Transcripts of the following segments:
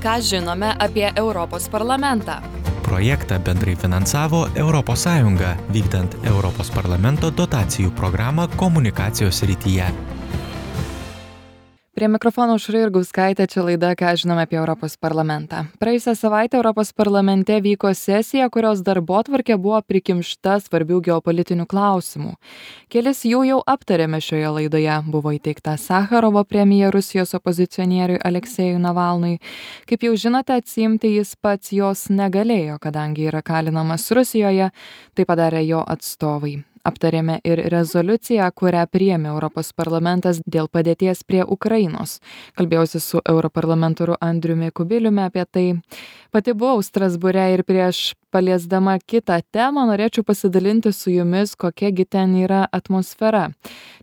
Ką žinome apie Europos parlamentą? Projektą bendrai finansavo ES, vykdant Europos parlamento dotacijų programą komunikacijos srityje. Prie mikrofono Aušra Jurgauskaitė, čia laida Ką žinome apie Europos parlamentą. Praėjusią savaitę Europos parlamente vyko sesija, kurios darbotvarkė buvo prikimšta svarbių geopolitinių klausimų. Kelis jų jau aptarėme šioje laidoje. Buvo įteikta Sacharovo premija Rusijos opozicionieriui Aleksejui Navalnui. Kaip jau žinote, atsiimti jis pats jos negalėjo, kadangi yra kalinamas Rusijoje, tai padarė jo atstovai. Aptarėme ir rezoliuciją, kurią priėmė Europos parlamentas dėl padėties prie Ukrainos. Kalbėjausi su europarlamentaru Andriumi Kubiliumi apie tai. Pati buvau Strasbūre ir prieš paliesdama kitą temą norėčiau pasidalinti su jumis, kokiagi ten yra atmosfera.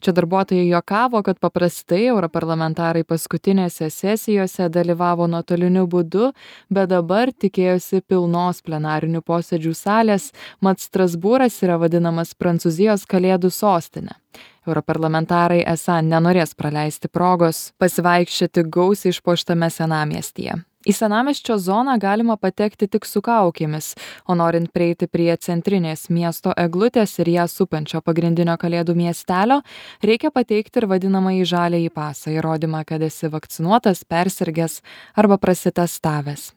Čia darbuotojai juokavo, kad paprastai europarlamentarai paskutinėse sesijose dalyvavo nuotoliniu būdu, bet dabar tikėjosi pilnos plenarinių posėdžių salės, mat Strasbūras yra vadinamas Prancūzijos kalėdų sostinė. Europarlamentarai esą nenorės praleisti progos pasivaikščioti gausiai išpuoštame senamiestyje. Į senamiesčio zoną galima patekti tik su kaukėmis, o norint prieiti prie centrinės miesto eglutės ir ją supančio pagrindinio kalėdų miestelio, reikia pateikti ir vadinamąjį žaliąjį pasą, įrodymą, kad esi vakcinuotas, persirgęs arba prasitestavęs.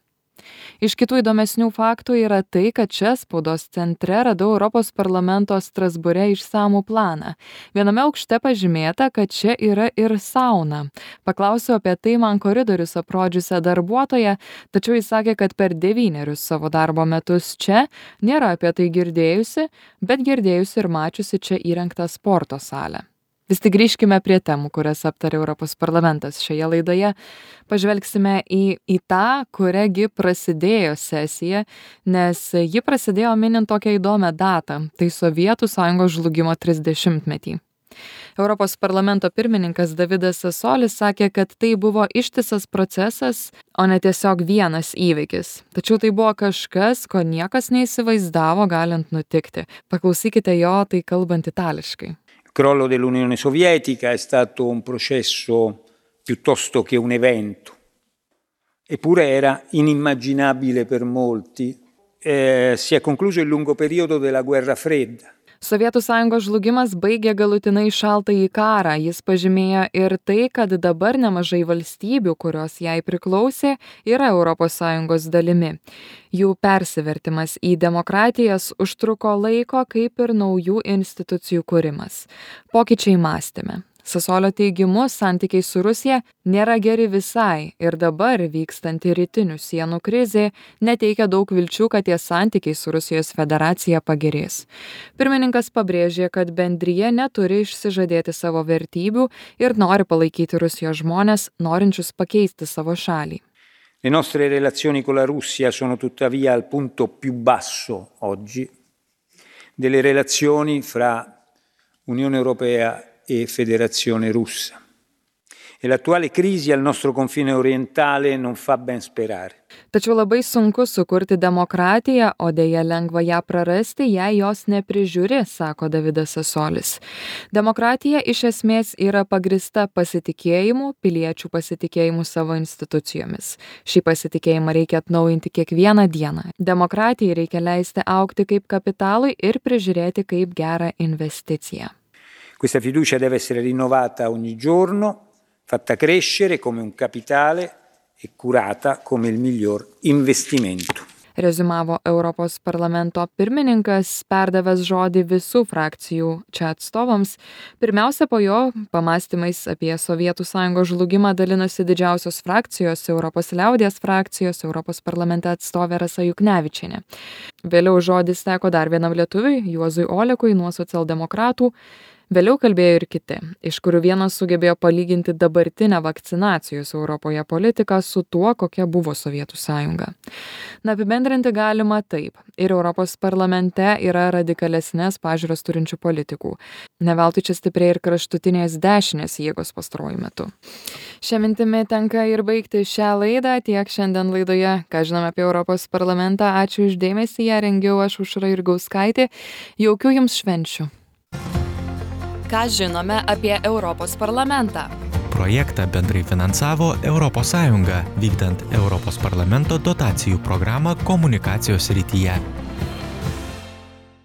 Iš kitų įdomesnių faktų yra tai, kad čia spaudos centre radau Europos parlamento Strasbūre išsamų planą. Viename aukšte pažymėta, kad čia yra ir sauna. Paklausiau apie tai man koridorius aprodžiusią darbuotoją, tačiau jis sakė, kad per 9 savo darbo metus čia nėra apie tai girdėjusi, bet girdėjusi ir mačiusi čia įrengtą sporto salę. Vis tik grįžkime prie temų, kurias aptarė Europos parlamentas šioje laidoje. Pažvelgsime į tą, kuriagi prasidėjo sesija, nes ji prasidėjo minint tokią įdomią datą, tai Sovietų Sąjungos žlugimo 30-metį. Europos parlamento pirmininkas Davidas Sasolis sakė, kad tai buvo ištisas procesas, o ne tiesiog vienas įvykis. Tačiau tai buvo kažkas, ko niekas neįsivaizdavo galint nutikti. Paklausykite jo, tai kalbant itališkai. Il crollo dell'Unione Sovietica è stato un processo piuttosto che un evento, eppure era inimmaginabile per molti. Si è concluso il lungo periodo della guerra fredda. Sovietų Sąjungos žlugimas baigė galutinai šaltąjį karą. Jis pažymėjo ir tai, kad dabar nemažai valstybių, kurios jai priklausė, yra Europos Sąjungos dalimi. Jų persivertimas į demokratijas užtruko laiko, kaip ir naujų institucijų kūrimas. Pokyčiai mąstyme. Sasolio teigimu, santykiai su Rusija nėra geri visai ir dabar vykstanti rytinių sienų krizė neteikia daug vilčių, kad tie santykiai su Rusijos federacija pagerės. Pirmininkas pabrėžė, kad bendrija neturi išsižadėti savo vertybių ir nori palaikyti Rusijos žmones, norinčius pakeisti savo šalį. Le nostre relazioni con la Russia sono tuttavia al punto più basso oggi delle relazioni fra Unione Europea e Federazione Russa. E l'attuale crisi al nostro confine orientale non fa ben sperare. Tačiau labai sunku sukurti demokratiją, o dėja lengva ją prarasti, jei jos neprižiūri, sako Davidas Sasolis. Demokratija iš esmės yra pagrista pasitikėjimu, piliečių pasitikėjimu savo institucijomis. Šį pasitikėjimą reikia atnaujinti kiekvieną dieną. Demokratijai reikia leisti augti kaip kapitalui ir prižiūrėti kaip gerą investiciją. Questa fiducia deve essere rinnovata ogni giorno, fatta crescere come un capitale e curata come il miglior investimento. Rezumavo Europos parlamento pirmininkas, perdavęs žodį visų frakcijų čia atstovams. Pirmiausia, po jo pamąstymais apie Sovietų Sąjungos žlugimą dalinosi didžiausios frakcijos, Europos liaudies frakcijos, Europos parlamente atstovė Rasa Juknevičienė. Vėliau žodis teko dar vienam lietuviui, Juozui Olekui nuo socialdemokratų. Vėliau kalbėjo ir kiti, iš kurių vienas sugebėjo palyginti dabartinę vakcinacijos Europoje politiką su tuo, kokia buvo Sovietų Sąjunga. Na, apibendrinti galima taip. Ir Europos parlamente yra radikalesnės pažiūros turinčių politikų. Ne veltui čia stipriai ir kraštutinės dešinės jėgos pastaruoju metu. Šią mintimį tenka ir baigti šią laidą. Tiek šiandien laidoje, ką žinome apie Europos parlamentą. Ačiū už dėmesį, ją rengiau aš Aušra Jurgauskaitė. Jaukių jums švenčių. Ką žinome apie Europos parlamentą? projektą bendrai finansavo ES, vykdant Europos parlamento dotacijų programą komunikacijos srityje.